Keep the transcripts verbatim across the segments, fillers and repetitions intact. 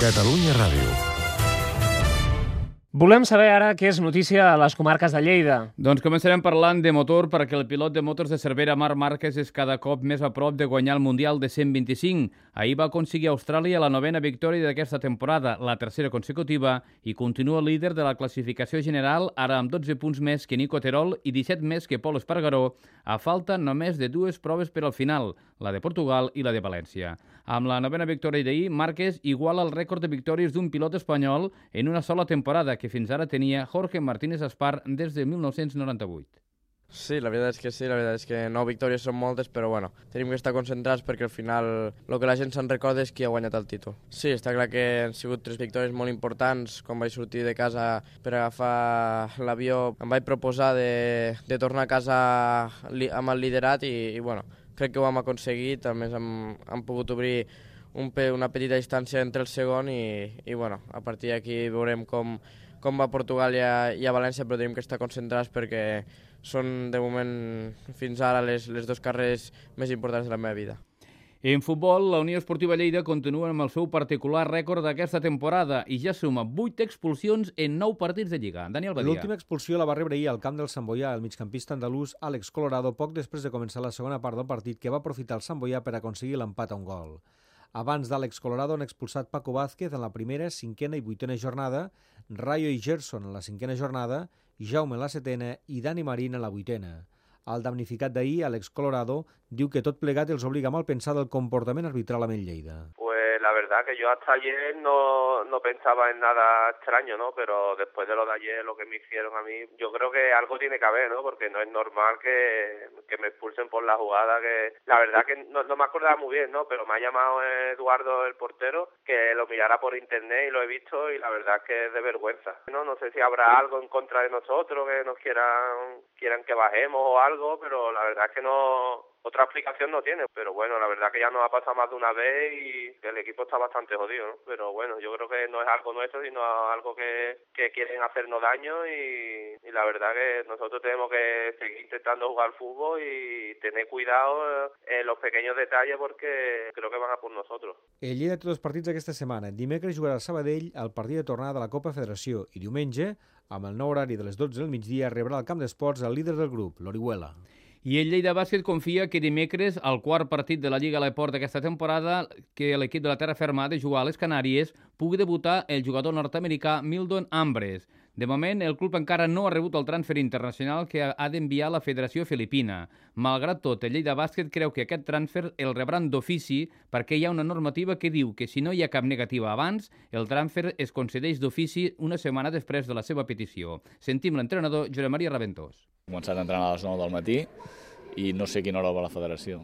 Catalunya Ràdio. Volem saber ara què és notícia a les comarques de Lleida. Doncs començarem parlant de motor perquè el pilot de motors de Cervera, Marc Márquez, és cada cop més a prop de guanyar el Mundial de cent vint-i-cinc. Ahir va aconseguir a Austràlia la novena victòria d'aquesta temporada, la tercera consecutiva, i continua líder de la classificació general, ara amb dotze punts més que Nico Terol i disset més que Pol Espargaró, a falta només de dues proves per al final, la de Portugal i la de València. Amb la novena victòria d'ahir, Márquez iguala el rècord de victòries d'un pilot espanyol en una sola temporada, que fins ara tenia Jorge Martínez Aspar des de mil nou-cents noranta-vuit. Sí, la veritat és que sí, la veritat és que nou victòries són moltes, però bueno, tenim que estar concentrats perquè al final el que la gent se'n recorda és qui ha guanyat el títol. Sí, està clar que han sigut tres victòries molt importants. Quan vaig sortir de casa per agafar l'avió em vaig proposar de, de tornar a casa amb el liderat i, i bueno, crec que ho hem aconseguit. A més hem, hem pogut obrir un, una petita distància entre el segon i, i bueno, a partir d'aquí veurem com, com va a Portugal i a, i a València, però tenim que estar concentrats perquè són, de moment, fins ara les, les dues carreres més importants de la meva vida. En futbol, la Unió Esportiva Lleida continua amb el seu particular rècord d'aquesta temporada i ja suma vuit expulsions en nou partits de Lliga. Daniel Badia. L'última expulsió la va rebre ahir al camp del Sant Boià, el migcampista andalús Àlex Colorado, poc després de començar la segona part del partit, que va aprofitar el Sant Boià per aconseguir l'empat a un gol. Abans d'Àlex Colorado han expulsat Paco Vázquez en la primera, cinquena i vuitena jornada, Rayo i Gerson en la cinquena jornada, Jaume en la setena i Dani Marín en la vuitena. El damnificat d'ahir, Àlex Colorado, diu que tot plegat els obliga a malpensar del comportament arbitral amb el Lleida. Pues la verdad que yo hasta ayer no, no pensaba en nada extraño, ¿no? Pero después de lo de ayer, lo que me hicieron a mí, yo creo que algo tiene que haber, ¿no? Porque no es normal que, que me expulsen por la jugada, que la verdad que no, no me acordaba muy bien, ¿no? Pero me ha llamado Eduardo, el portero, que lo mirara por internet y lo he visto y la verdad es que es de vergüenza. No, no sé si habrá algo en contra de nosotros, que nos quieran, quieran que bajemos o algo, pero la verdad es que no... Otra explicación no tiene, pero bueno, la verdad que ya nos ha pasado más de una vez y el equipo está bastante jodido, ¿no? Pero bueno, yo creo que no es algo nuestro, sino algo que, que quieren hacernos daño y, y la verdad que nosotros tenemos que seguir intentando jugar al fútbol y tener cuidado en los pequeños detalles porque creo que van a por nosotros. El Lleida té dos partits aquesta setmana. Dimecres jugarà al Sabadell el partit de tornada de la Copa Federació i diumenge, amb el nou horari de les dotze del migdia, rebrà al camp d'esports el líder del grup, l'Orihuela. I el Lleida Bàsquet confia que dimecres, al quart partit de la Lliga a l'Eport d'aquesta temporada, que l'equip de la Terra Ferma ha de jugar a les Canàries, pugui debutar el jugador nord-americà Mildon Ambres. De moment, el club encara no ha rebut el transfer internacional que ha d'enviar la Federació Filipina. Malgrat tot, el Lleida Bàsquet creu que aquest transfer el rebran d'ofici perquè hi ha una normativa que diu que si no hi ha cap negativa abans, el transfer es concedeix d'ofici una setmana després de la seva petició. Sentim l'entrenador Josep Maria Raventós. He començat a entrenar a les nou del matí i no sé a quina hora va la federació.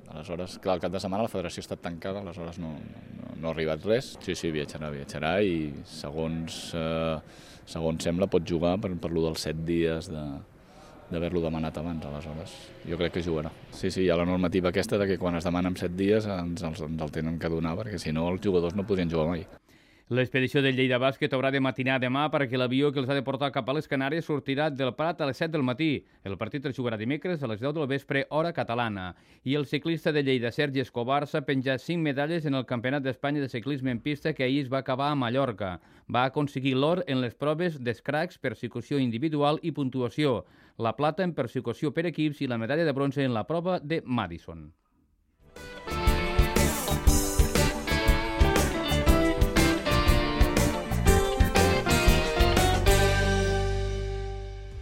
Aleshores, clar, el cap de setmana la federació ha estat tancada, aleshores no, no, no ha arribat res. Sí, sí, viatjarà, viatjarà i segons, eh, segons sembla pot jugar per, per lo dels set dies de, d'haver-lo demanat abans, aleshores. Jo crec que jugarà. Sí, sí, hi ha la normativa aquesta de que quan es demana en set dies ens, ens, ens el tenen que donar perquè si no els jugadors no podrien jugar mai. L'expedició del Lleida Bàsquet haurà de matinar demà perquè l'avió que els ha de portar cap a les Canàries sortirà del Prat a les set del matí. El partit es jugarà dimecres a les deu del vespre, hora catalana. I el ciclista de Lleida, Sergi Escobar, s'ha penjat cinc medalles en el Campionat d'Espanya de ciclisme en pista que ahir es va acabar a Mallorca. Va aconseguir l'or en les proves d'escracs, persecució individual i puntuació, la plata en persecució per equips i la medalla de bronze en la prova de Madison.